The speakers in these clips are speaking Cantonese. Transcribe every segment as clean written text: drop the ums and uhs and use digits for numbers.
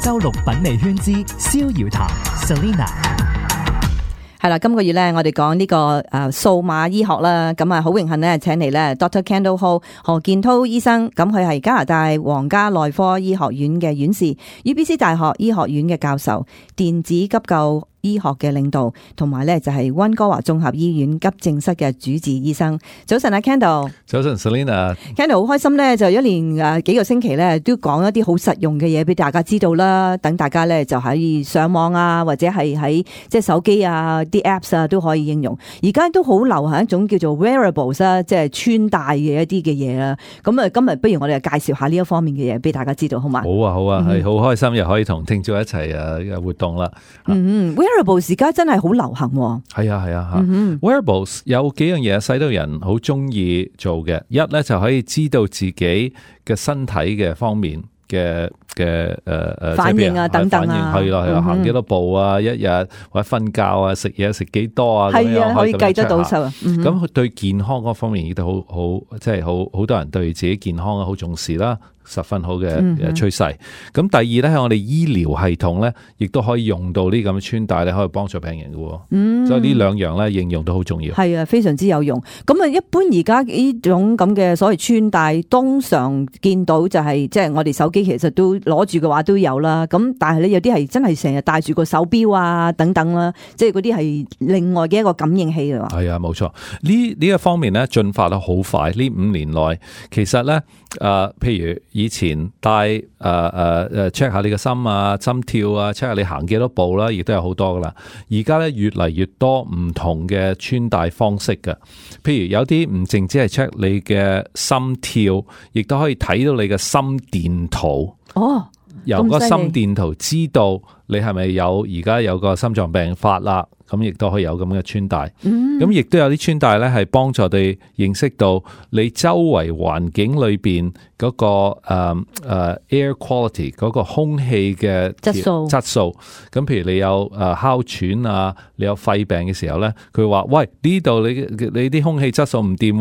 周六品味圈之逍遙談 Selena。係啦，今個月咧，我哋講呢個數碼醫學啦，咁啊好榮幸咧，請嚟咧 Dr. Kendall Ho 何建滔醫生，咁佢係加拿大皇家內科醫學院嘅院士 ，UBC 大學醫學院嘅教授，電子急救醫學嘅領導，同埋咧就係溫哥華綜合醫院急症室嘅主治醫生。早晨啊 Kendall， 早晨 Selena。Kendall 好開心咧，就一連幾個星期咧都講一啲好實用嘅嘢俾大家知道啦，等大家咧就可以上網啊，或者係喺即係手機啊啲 apps 啊都可以應用。而家都好流行一種叫做 wearables 啦，即係穿戴嘅一啲嘅嘢啦。咁啊，今日不如我哋介紹下呢一方面嘅嘢俾大家知道，好嘛？好啊，好啊，係好開心又可以同聽眾一齊活動啦。Wearables 而家真係好流行喎。係啊，Wearables 有幾樣嘢使到人好中意做嘅。一咧就可以知道自己嘅身體嘅方面嘅反應啊等等啊，係啦，行幾多步啊，一日或者瞓覺啊，食嘢食幾多啊，係啊，可以計得到數啊。咁對健康嗰方面亦都好，即係好多人對自己健康好重視啦。十分好嘅趨勢。咁第二咧，喺我哋醫療系統咧，亦都可以用到呢咁嘅穿戴咧，可以幫助病人嘅。所以呢兩樣咧應用都好重要。係啊，非常之有用。咁啊，一般而家呢種咁嘅所謂穿戴，通常見到就係即係我哋手機其實都攞住嘅話都有啦。咁但係咧有啲係真係成日戴住個手錶啊等等啦，即係嗰啲係另外嘅一個感應器啊。係啊，冇錯。呢一方面咧進化得好快。呢5年內其實咧譬如以前帶check 下你嘅心啊、心跳啊 check 下你行幾多步啦，亦都有好多噶啦。而家咧越嚟越多唔同嘅穿戴方式嘅，譬如有啲唔淨止係 check 你嘅心跳，亦都可以睇到你嘅心電圖。由個心電圖知道你係咪而家有個心臟病發啦，咁亦都可以有咁嘅穿戴。咁亦都有啲穿戴咧係幫助你認識到你周圍環境裏邊嗰個air quality 嗰個空氣嘅質素。咁譬如你有哮喘啊，你有肺病嘅時候咧，佢話喂，呢度你啲空氣質素唔掂，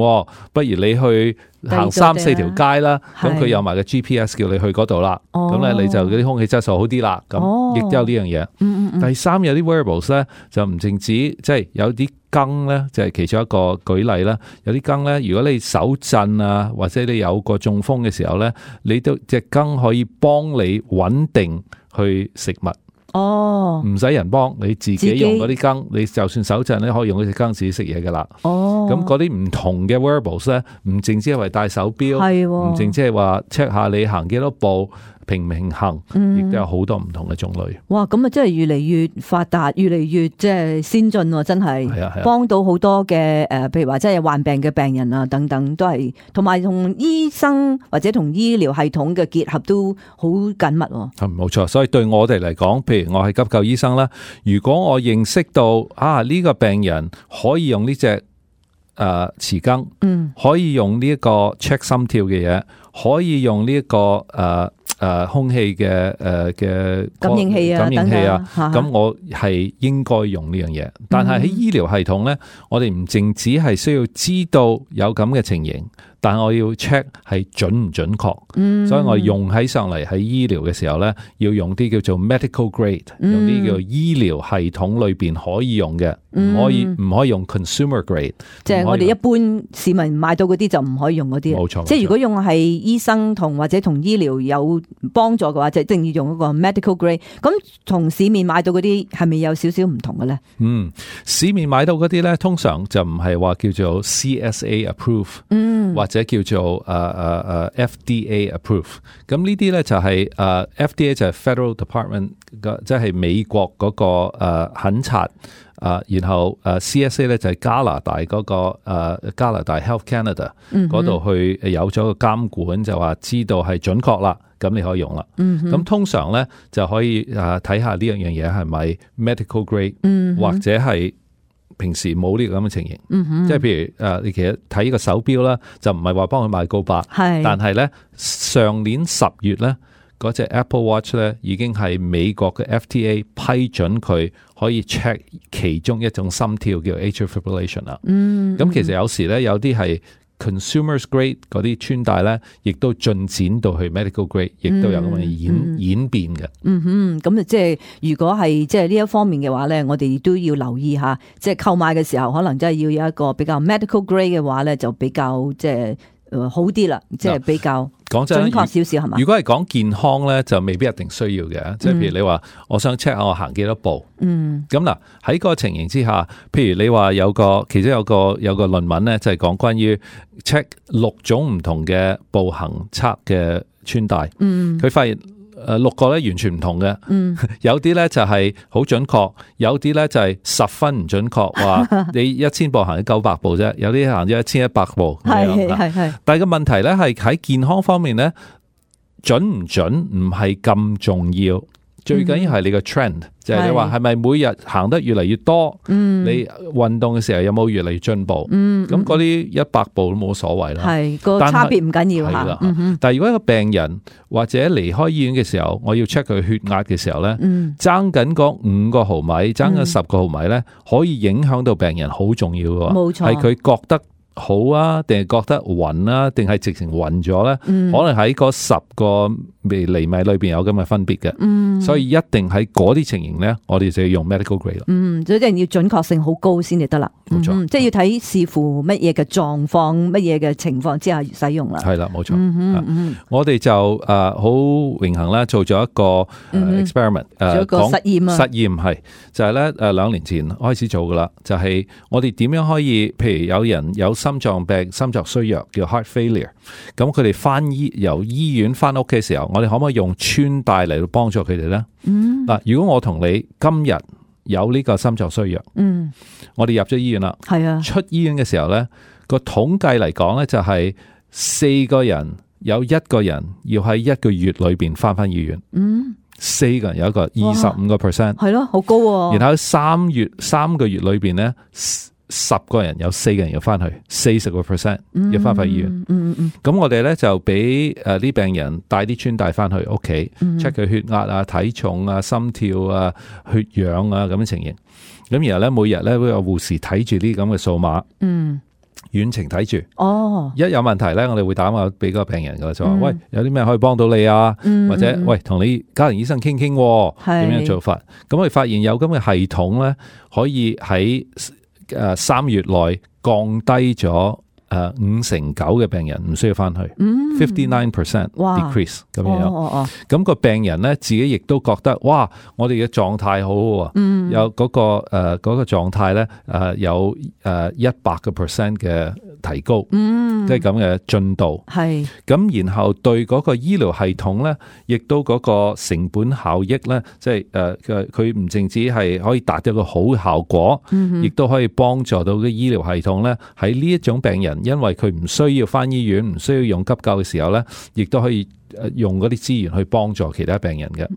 不如你去行3-4條街啦。咁佢有埋個 GPS 叫你去嗰度啦。咁咧你就嗰啲空氣質素好啲啦。咁亦都有呢樣嘢。第三，有啲 wearables 咧就唔淨止，即係有啲羹咧，就係其中一個舉例啦。有啲羹咧，如果你手震啊，或者你有個中風嘅時候咧，你都隻羹可以幫你穩定去食物。唔使人幫，你自己用嗰啲羹，你就算手震咧，可以用嗰隻羹自己食嘢噶啦。咁嗰啲唔同嘅 wearables 咧，唔淨止係為戴手錶，唔淨止係話 check 下你行幾多步，平唔平衡，亦都有好多唔同嘅種類。哇！咁啊，真係越嚟越發達，越嚟越即係先進喎，真係幫到好多嘅譬如話即係患病嘅病人啊等等，都係同埋同醫生或者同醫療系統嘅結合都好緊密。冇錯，所以對我哋嚟講，譬如我係急救醫生啦，如果我認識到呢個病人可以用呢隻匙羹，可以用呢一個 check 心跳嘅嘢，可以用呢一個空氣嘅感應器啊，咁我係應該用呢樣嘢。但係喺醫療系統咧，我哋唔淨止係需要知道有咁嘅情形，但係我要 check 係準唔準確。所以我用喺上嚟喺醫療嘅時候咧，要用啲叫做 medical grade，用啲叫做醫療系統裏邊可以用嘅，唔可以用 consumer grade。即係我哋一般市民買到嗰啲就唔可以用嗰啲。冇錯。即係如果用係醫生或者同醫療有幫助嘅話，就一定要用嗰個 medical grade。咁同市面買到嗰啲係咪有少少唔同嘅咧？市面買到嗰啲咧，通常就唔係話叫做 CSA approve，或者叫做FDA approve。咁呢啲咧就係FDA 就係 Federal Department，即係美國嗰個檢察。然後CSA 咧就係加拿大嗰個加拿大 Health Canada 嗰度去有咗個監管，就話知道係準確啦，咁你可以用啦。咁通常咧就可以睇下呢樣嘢係咪 medical grade，或者係平時冇呢個咁嘅情形。即係譬如你其實睇呢個手錶啦，就唔係話幫佢買告白，但係咧上年10月咧。嗰隻 Apple Watch 咧已經係美國嘅 FTA 批准佢可以 check 其中一種心跳叫 atrial fibrillation 啦。咁其實有時咧有啲係 consumers grade 嗰啲穿戴咧，亦都進展到去 medical grade， 亦都有咁嘅演變嘅。咁即係如果係即係呢一方面嘅話咧，我哋都要留意下，即係購買嘅時候，可能真係要有一個比較 medical grade 嘅話咧，就比較即係好啲啦，即係比較講真準確少少係嘛？如果係講健康咧，就未必一定需要嘅。即係譬如你話，我想 check 下我行幾多步。咁嗱喺個情形之下，譬如你話其中有個論文咧，就係講關於 check 6種唔同嘅步行測嘅穿戴。佢發現6個咧完全唔同嘅，有啲咧就係好準確，有啲咧就係10分唔準確，話你1000步行咗900步啫，有啲行咗1100步。係。但係個問題咧係喺健康方面咧，準唔準唔係咁重要。最緊要係你個 trend，就係你話係咪每日行得越嚟越多，你運動嘅時候有冇越嚟越進步？咁嗰啲100步都冇所謂啦。係個差別唔緊要嚇。但係如果一個病人或者離開醫院嘅時候，我要 check 佢血壓嘅時候咧，爭緊嗰5個毫米，爭緊10個毫米咧，可以影響到病人好重要嘅。冇錯，係佢覺得好啊，定係覺得暈啊，定係直情暈咗咧？可能喺嗰10個厘米裏邊有咁嘅分別嘅。所以一定喺嗰啲情形咧，我哋就要用 medical grade 啦。所以一定要準確性好高先至得啦。冇錯，即係要睇視乎乜嘢嘅狀況、乜嘢嘅情況之下使用啦。係啦，冇錯。我哋就好榮幸啦，做咗一個 experiment， 做一個實驗啊。實驗係就係咧2年前開始做噶啦，就係我哋點樣可以，譬如有人有心臟病、心臟衰弱叫 heart failure， 咁佢哋由醫院翻屋企嘅時候，我哋可唔可以用穿戴嚟到幫助佢哋咧？嗱，如果我同你今日有呢個心臟衰弱，我哋入咗醫院啦，係啊，出醫院嘅時候咧，個統計嚟講咧就係4個人有1個人要喺1個月裏邊翻醫院，4個人有一個 25%， 係咯，好高喎。然後3個月裏邊咧，10個人有4個人要翻去，40% 要翻醫院。咁我哋咧就俾啲病人帶啲穿戴翻去屋企 check 佢血壓啊、體重啊、心跳啊、血氧啊咁嘅情形。咁然後咧每日咧會有護士睇住啲咁嘅數碼，遠程睇住。一有問題咧，我哋會打電話俾個病人噶，就話喂，有啲咩可以幫到你啊？或者喂，同你家庭醫生傾傾，點樣做法？咁我哋發現有咁嘅系統咧，可以喺3月內降低咗59%嘅病人唔需要翻去，59% decrease 咁樣。咁個病人咧自己亦都覺得，哇！我哋嘅狀態好好啊，有嗰個狀態咧有100% 嘅提高，即係咁嘅進度。係咁，然後對嗰個醫療系統咧，亦都嗰個成本效益咧，即係佢唔淨止係可以達到一個好效果，亦都可以幫助到嘅醫療系統咧，喺呢一種病人，因為佢唔需要翻醫院，唔需要用急救嘅時候咧，亦都可以用嗰啲資源去幫助其他病人嘅。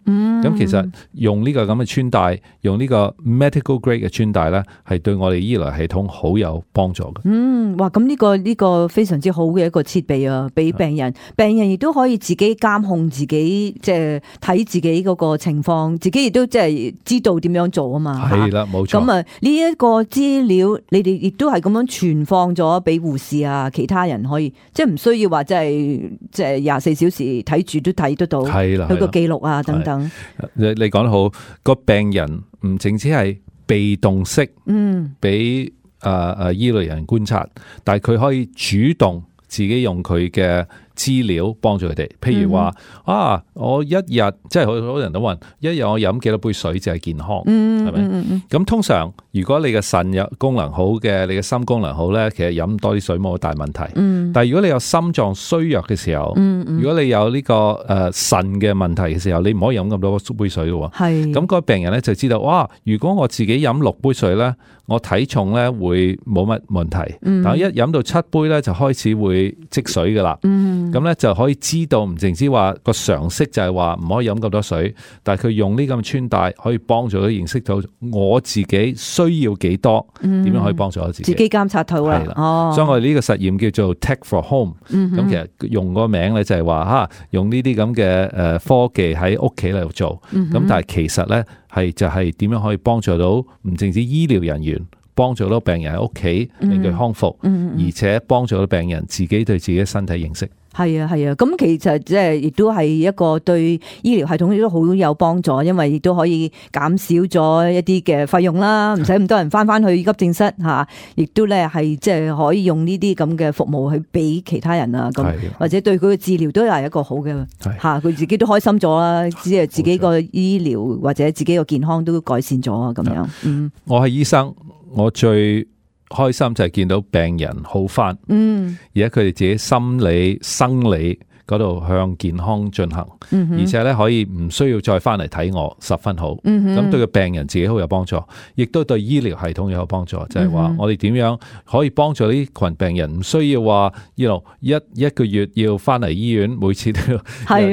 咁其實用呢個咁嘅穿戴，用呢個 medical grade 嘅穿戴咧，係對我哋醫療系統好有幫助嘅。哇！咁呢個非常之好嘅一個設備啊，俾病人亦都可以自己監控自己，即係睇自己嗰個情況，自己亦都即係知道點樣做啊嘛。係啦，冇錯。咁啊，呢一個資料，你哋亦都係咁樣傳放咗俾護士啊，其他人可以，即係唔需要話即係24小時睇住都睇得到，佢個記錄啊等等。你講得好，個病人唔淨止係被動式，俾醫療人觀察，但係佢可以主動自己用佢嘅資料幫助佢哋。譬如話我一日即係好多人都問，一日我飲幾多杯水就係健康，係咪？咁通常如果你嘅腎有功能好嘅，你嘅心功能好咧，其實飲多啲水冇大問題。但係如果你有心臟衰弱嘅時候，如果你有呢個腎嘅問題嘅時候，你唔可以飲咁多杯水嘅。係咁，個病人咧就知道，哇！如果我自己飲6杯水咧，我體重咧會冇乜問題。但係一飲到7杯咧，就開始會積水噶啦。咁咧就可以知道，唔淨止話個常識就係話唔可以飲咁多水，但係佢用呢咁嘅穿戴可以幫助佢認識到我自己需要幾多，點樣可以幫助我自己。自己監察到啦。所以我哋呢個實驗叫做 Tech for Home。咁其實用個名咧就係話用呢啲咁嘅科技喺屋企嚟做。咁但係其實咧就係點樣可以幫助到唔淨止醫療人員，幫助到病人喺屋企令佢康復，而且幫助到病人自己對自己身體認識。係啊，咁其實即係亦都係一個對醫療系統亦都好有幫助，因為亦都可以減少咗一啲嘅費用啦，唔使咁多人翻去急症室吓，亦都咧係即係可以用呢啲咁嘅服務去俾其他人啊，咁或者對佢嘅治療都係一個好嘅吓，佢自己都開心咗啦，只係自己個醫療或者自己個健康都改善咗啊，咁樣。我係醫生，我最開心就係見到病人好返，而家佢哋自己心理、生理嗰度向健康進行，而且咧可以唔需要再翻嚟睇我，十分好。咁對個病人自己好有幫助，亦都對醫療系統有幫助。就係話我哋點樣可以幫助呢群病人，唔需要話一個月要翻嚟醫院，每次都要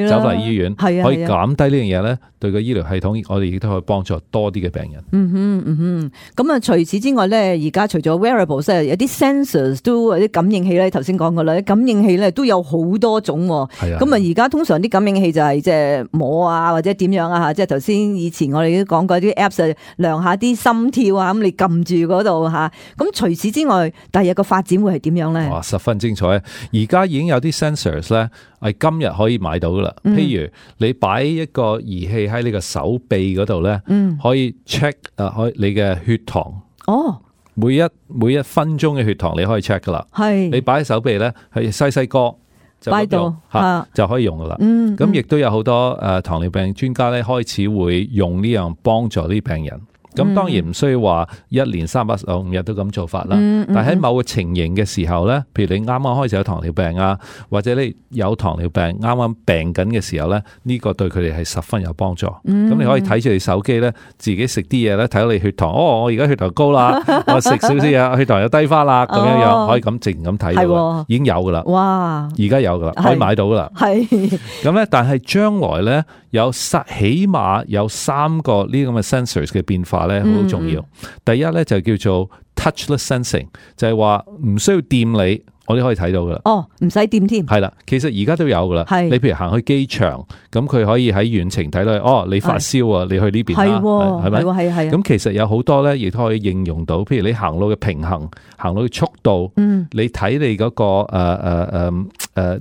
走嚟醫院，可以減低呢樣嘢咧。對個醫療系統，我哋亦都可以幫助多啲嘅病人。咁啊，除此之外咧，而家除咗 wearables 有啲 sensors 都有啲感應器咧，頭先講過啦，感應器咧都有好多種。咁啊，而家通常啲感應器就係即係摸啊，或者點樣啊吓，即係頭先以前我哋都講過啲 apps 量下啲心跳啊，咁你撳住嗰度吓。咁除此之外，第日個發展會係點樣咧？哇，十分精彩！而家已經有啲 sensors 咧，係今日可以買到噶啦。譬如你擺一個儀器喺你個手臂嗰度咧，可以 check 可以你嘅血糖。每一分鐘嘅血糖你可以 check 噶啦。你擺喺手臂咧，係細個就擺到就可以用噶啦。咁亦都有好多糖尿病專家咧，開始會用呢樣幫助啲病人。咁當然唔需要話一年365日都咁做法啦。但喺某個情形嘅時候咧，譬如你啱啱開始有糖尿病啊，或者你有糖尿病啱啱病緊嘅時候咧，呢個對佢哋係十分有幫助。咁你可以睇住你手機咧，自己食啲嘢咧，睇到你血糖，我而家血糖高啦，我食少少嘢，血糖又低翻啦，咁樣可以咁直咁睇到，已經有噶啦。哇！而家有噶啦，可以買到噶啦。咁咧，但係將來咧起碼有3個呢咁嘅 sensors 嘅變化咧，好重要。第一咧就叫做 touchless sensing， 就係話唔需要掂你，我哋可以睇到噶啦。唔使掂添。係啦，其實而家都有噶啦。你譬如行去機場，咁佢可以喺遠程睇到，你發燒啊，你去呢邊啦，係咪？係。咁其實有好多咧，亦都可以應用到。譬如你行路嘅平衡，行路嘅速度，你睇你嗰個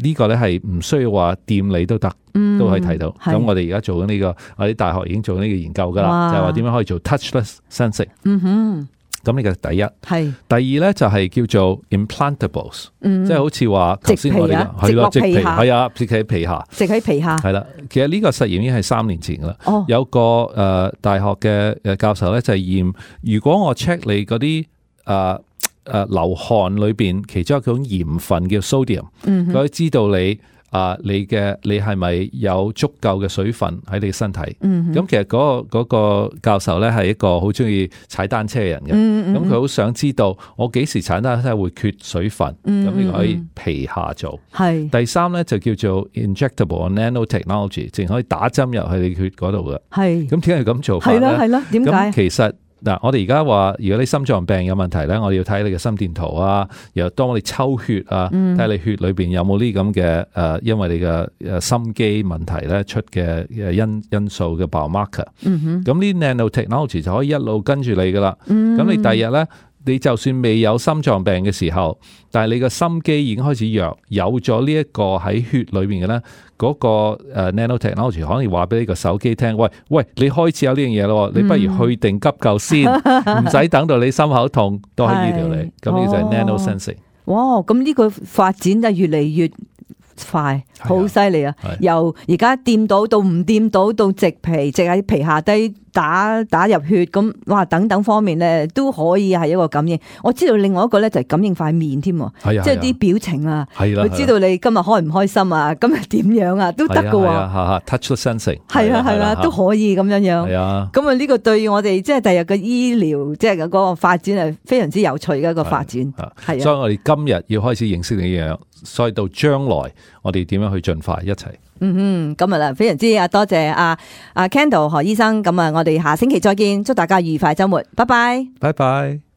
呢個咧係唔需要話掂你都得。都可以睇到，咁我哋而家做緊呢個，我哋大學已經做緊呢個研究噶啦，就係話點樣可以做 touchless sensing。咁呢個第一，第二咧就係叫做 implantables，即係好似話頭先我哋係咯，植皮係啊，植喺皮下，植喺皮下係啦。其實呢個實驗已經係3年前噶啦。有個大學嘅教授咧就係驗，如果我 check 你嗰啲流汗裏邊其中一種鹽分叫 sodium，佢可以知道你係咪有足夠嘅水分喺你嘅身體？咁其實嗰個教授咧係一個好中意踩單車嘅人嘅，咁佢好想知道我幾時踩單車會缺水分，咁呢個可以皮下做。第三咧就叫做 injectable nanotechnology， 淨可以打針入去你血嗰度嘅。咁點解要咁做法咧？係啦，點解？咁其實我哋而家話，如果你心臟病有問題咧，我哋要睇你嘅心電圖啊，又當我哋抽血啊，睇下你血裏邊有冇呢咁嘅因為你嘅心肌問題咧出嘅因素嘅 biomarker。咁呢 nanotechnology 就可以一路跟住你噶啦。咁你第二日咧，你就算未有心臟病嘅時候，但係你個心肌已經開始弱，有咗呢一個喺血裏邊嘅咧，嗰個 nanotechnology 可能話俾你個手機聽，喂，你開始有呢樣嘢咯，你不如去定急救先，唔使等到你心口痛都可以醫療你。咁呢個就係 nanosensing。哇，咁呢個發展就越嚟越快，好犀利啊！由而家掂到唔掂到植皮，植喺皮下低打入血，咁哇等等方面咧都可以係一個感應。我知道另外一個咧就係感應塊面添，即係啲表情啊，佢知道你今日開唔開心啊，今日點樣啊都得噶。touchless sensing 係啦，都可以咁樣樣。咁啊呢個對我哋即係第日嘅醫療即係嗰個發展係非常之有趣嘅一個發展。係，所以我哋今日要開始認識呢樣，所以到將來我哋點樣去進化一齊。今日啦，非常之多謝阿 Kendall 何醫生。咁我哋下星期再見，祝大家愉快週末，拜拜，拜拜。